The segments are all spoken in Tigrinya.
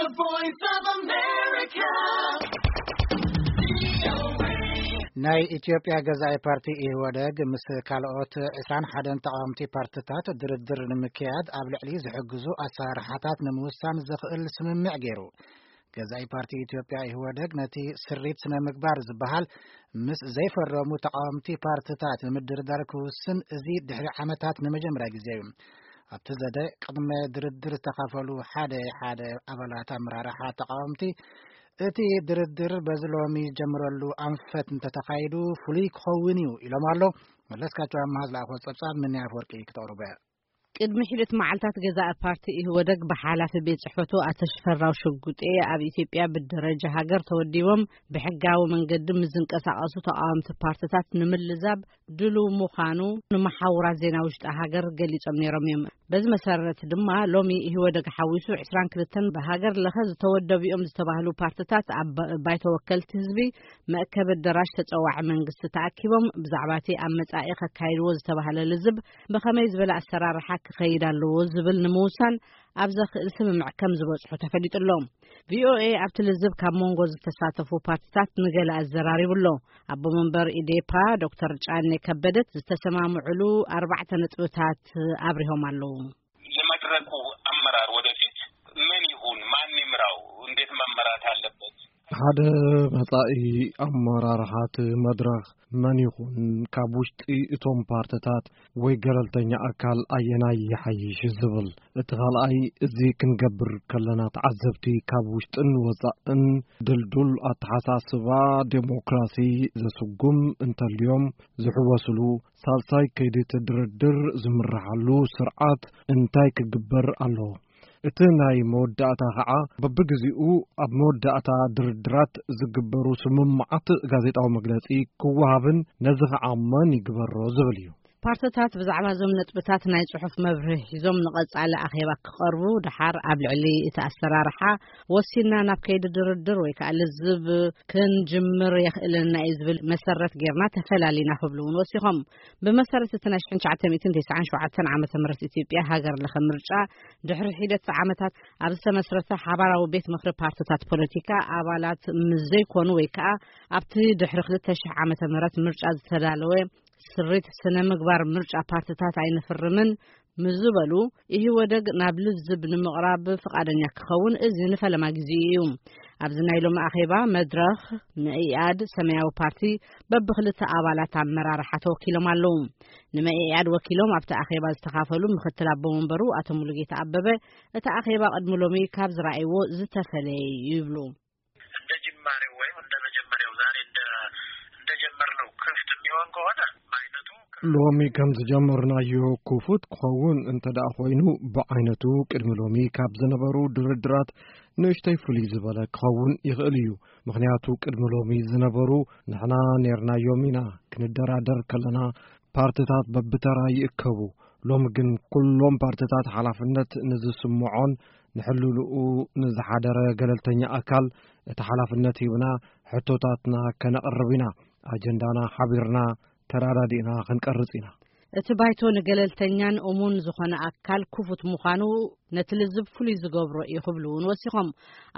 The Voice of America. ናይ ኢትዮጵያ ገዛኢ ፓርቲ ኢህወደግ ምስ ካልኦት ዕስራን ሓደን ተቃወምቲ ፓርትታት ድርድር ንምክያድ ኣብ ልዕሊ ዝሕግዙ ኣሰራርሓታት ንምውሳን ዘኽእል ስምምዕ ገይሩ። ገዛኢ ፓርቲ ኢትዮጵያ ኢህወደግ ነቲ ስሪት ስነ ምግባር ዝበሃል ምስ ዘይፈረሙ ተቃወምቲ ፓርትታት ንምድርዳር ክውስን እዚ ድሕሪ ዓመታት ንመጀመርያ ግዜ እዩ። ኣብቲ ዘተ ቅድመ ድርድር ዝተኻፈሉ ሓደ ሓደ ኣባላት ኣመራርሓ ተቃወምቲ፣ እቲ ድርድር በዚ ሎሚ ዝጀምረሉ ኣንፈት እንተተኻይዱ ፍሉይ ክኸውን እዩ ኢሎም ኣሎ። መለስካቸው ኣምሃ ዝለኣኾ ጸብጻብ ምንያ ኣፈወርቂ ክተቕርቦ እያ። ቅድሚ ሒደት መዓልታት ገዛኢ ፓርቲ ኢህወደግ ብሓላፊ ቤት ጽሕፈቱ ኣቶ ሽፈራው ሽጉጤ ኣብ ኢትዮጵያ ብደረጃ ሃገር ተወዲቦም ብሕጋዊ መንገዲ ምስ ዝንቀሳቐሱ ተቃወምቲ ፓርትታት ንምልዛብ ድሉው ምዃኑ ንመሓውራት ዜና ውሽጢ ሃገር ገሊጾም ነይሮም እዮም። በዚ መሰረት ድማ ሎሚ ኢህወደግ ሓዊሱ ዕስራን ክልተን ብሃገር ለኸ ዝተወደቡ እዮም ዝተባህሉ ፓርትታት ኣብ ባይቶ ወከልቲ ህዝቢ መእከቢ ኣዳራሽ ተጸዋዒ መንግስቲ ተኣኪቦም ብዛዕባ እቲ ኣብ መጻኢ ከካይድዎ ዝተባህለ ልዝብ ብኸመይ ዝበለ ኣሰራርሓ ክኸይድ ኣለዎ ዝብል ንምውሳን ኣብ ዘኽእል ስምምዕ ከም ዝበጽሑ ተፈሊጡ ኣሎ። ቪኦኤ ኣብቲ ልዝብ ካብ መንጎ ዝተሳተፉ ፓርትታት ንገለ ኣዘራሪቡ ኣሎ። ኣቦ መንበር ኢዴፓ ዶክተር ጫኔ ከበደት ዝተሰማምዕሉ ኣርባዕተ ነጥብታት ኣብሪሆም ኣለዉ። የመድረኩ ኣመራር ወደፊት ምን ይሁን፣ ማን ይምራው፣ እንዴት መመራት አለበት? ሓደ መጻኢ ኣመራርሓ እቲ መድረኽ መን ይኹን ካብ ውሽጢ እቶም ፓርትታት ወይ ገለልተኛ ኣካል ኣየናይ ይሓይሽ ዝብል። እቲ ካልኣይ፣ እዚ ክንገብር ከለና ተዓዘብቲ ካብ ውሽጥን ወጻእን ድልዱል ኣተሓሳስባ ዴሞክራሲ ዘስጉም እንተልዮም ዝሕወስሉ፣ ሳልሳይ ከይዲ እቲ ድርድር ዝምርሓሉ ስርዓት እንታይ ክግበር ኣለዎ? እቲ ናይ መወዳእታ ኸዓ በብግዜኡ ኣብ መወዳእታ ድርድራት ዝግበሩ ስምምዓት ጋዜጣዊ መግለጺ ክወሃብን ነዚ ኸዓ መን ይግበሮ ዝብል እዩ። ፓርትታት ብዛዕባ እዞም ነጥብታት ናይ ጽሑፍ መብርሂ ሒዞም ንቐጻሊ ኣኼባ ክቐርቡ ደሓር ኣብ ልዕሊ እቲ ኣሰራርሓ ወሲንና ናብ ከይዲ ድርድር ወይ ከዓ ልዝብ ክንጅምር የኽእለና እዩ ዝብል መሰረት ጌርና ተፈላሊና ክብሉ እውን ወሲኾም። ብመሰረት እቲ ናይ ሽሕን ትሽዓተ ሚእትን ተስዓን ሸውዓተን ዓመተ ምህረት ኢትዮጵያ ሃገር ለኸ ምርጫ ድሕሪ ሒደት ዓመታት ኣብ ዝተመስረተ ሓባራዊ ቤት ምኽሪ ፓርትታት ፖለቲካ ኣባላት ምስ ዘይኮኑ ወይ ከዓ ኣብቲ ድሕሪ ክልተ ሽሕ ዓመተ ምህረት ምርጫ ዝተዳለወ ስሪት ስነ ምግባር ምርጫ ፓርትታት ኣይንፍርምን ምስ ዝበሉ፣ ኢህወደግ ናብ ልዝብ ንምቕራብ ፍቓደኛ ክኸውን እዚ ንፈለማ ግዜኡ እዩ። ኣብዚ ናይ ሎሚ ኣኼባ መድረኽ፣ መኢኣድ፣ ሰማያዊ ፓርቲ በብክልተ ኣባላት ኣመራርሓ ተወኪሎም ኣለዉ። ንመኢኣድ ወኪሎም ኣብቲ ኣኼባ ዝተኻፈሉ ምክትል ኣቦ መንበሩ ኣቶ ሙሉጌታ ኣበበ፣ እቲ ኣኼባ ቅድሚ ሎሚ ካብ ዝረኣይዎ ዝተፈለየ እዩ ይብሉ። እንደ ጅማሬው ወይም እንደ መጀመሪያው ዛሬ እንደ እንደጀመርነው ክፍት የሚሆን ከሆነ በአይነቱ ሎሚ ከም ዝጀመርናዮ ክፉት ክኸውን እንተ ደኣ ኮይኑ፣ ብዓይነቱ ቅድሚ ሎሚ ካብ ዝነበሩ ድርድራት ንእሽተይ ፍልይ ዝበለ ክኸውን ይኽእል እዩ። ምኽንያቱ ቅድሚ ሎሚ ዝነበሩ ንሕና ኔርናዮም ኢና። ክንደራደር ከለና ፓርትታት በብተራ ይእከቡ። ሎሚ ግን ኩሎም ፓርትታት ሓላፍነት ንዝስምዖን ንሕልልኡ ንዝሓደረ ገለልተኛ ኣካል እቲ ሓላፍነት ሂብና ሕቶታትና ከነቕርብ ኢና። ኣጀንዳና ሓቢርና ተራዳዲእና ክንቀርጽ ኢና። እቲ ባይቶ ንገለልተኛን እሙን ዝኾነ ኣካል ክፉት ምዃኑ ነቲ ልዝብ ፍሉይ ዝገብሮ እዩ ክብሉ እውን ወሲኾም።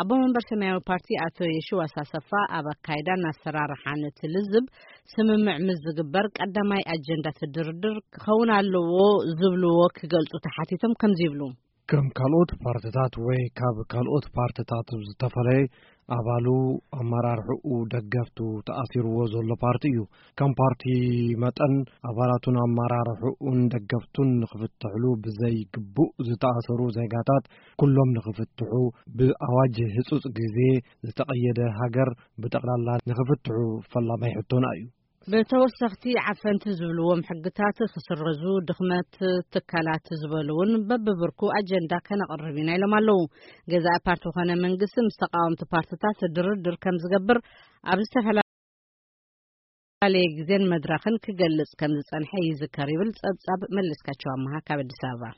ኣቦ መንበር ሰማያዊ ፓርቲ ኣቶ የሺዋስ ኣሰፋ ኣብ ኣካይዳን ኣሰራርሓን እቲ ልዝብ ስምምዕ ምስ ዝግበር ቀዳማይ ኣጀንዳ እቲ ድርድር ክኸውን ኣለዎ ዝብልዎ ክገልጹ ተሓቲቶም ከምዚ ይብሉ። ከም ካልኦት ፓርትታት ወይ ካብ ካልኦት ፓርትታት ብዝተፈለየ ኣባሉ ኣመራርሕኡ ደገፍቱ ተኣሲርዎ ዘሎ ፓርቲ እዩ። ከም ፓርቲ መጠን ኣባላቱን ኣመራርሕኡን ደገፍቱን ንኽፍትሕሉ ብዘይ ግቡእ ዝተኣሰሩ ዜጋታት ኩሎም ንኽፍትሑ ብኣዋጅ ህጹጽ ግዜ ዝተቐየደ ሃገር ብጠቕላላ ንኽፍትሑ ፈላማይ ሕቶና እዩ። ብተወሰኽቲ ዓፈንቲ ዝብልዎም ሕግታት ክስረዙ፣ ድኽመት ትካላት ዝበሉ እውን በብብርኩ ኣጀንዳ ከነቕርብ ኢና ኢሎም ኣለዉ። ገዛኢ ፓርቲ ኮነ መንግስቲ ምስ ተቃወምቲ ፓርትታት ድርድር ከም ዝገብር ኣብ ዝተፈላለየ ግዜን መድረኽን ክገልጽ ከም ዝጸንሐ ይዝከር ይብል ጸብጻብ መለስካቸው ኣመሃ ካብ ኣዲስ ኣበባ።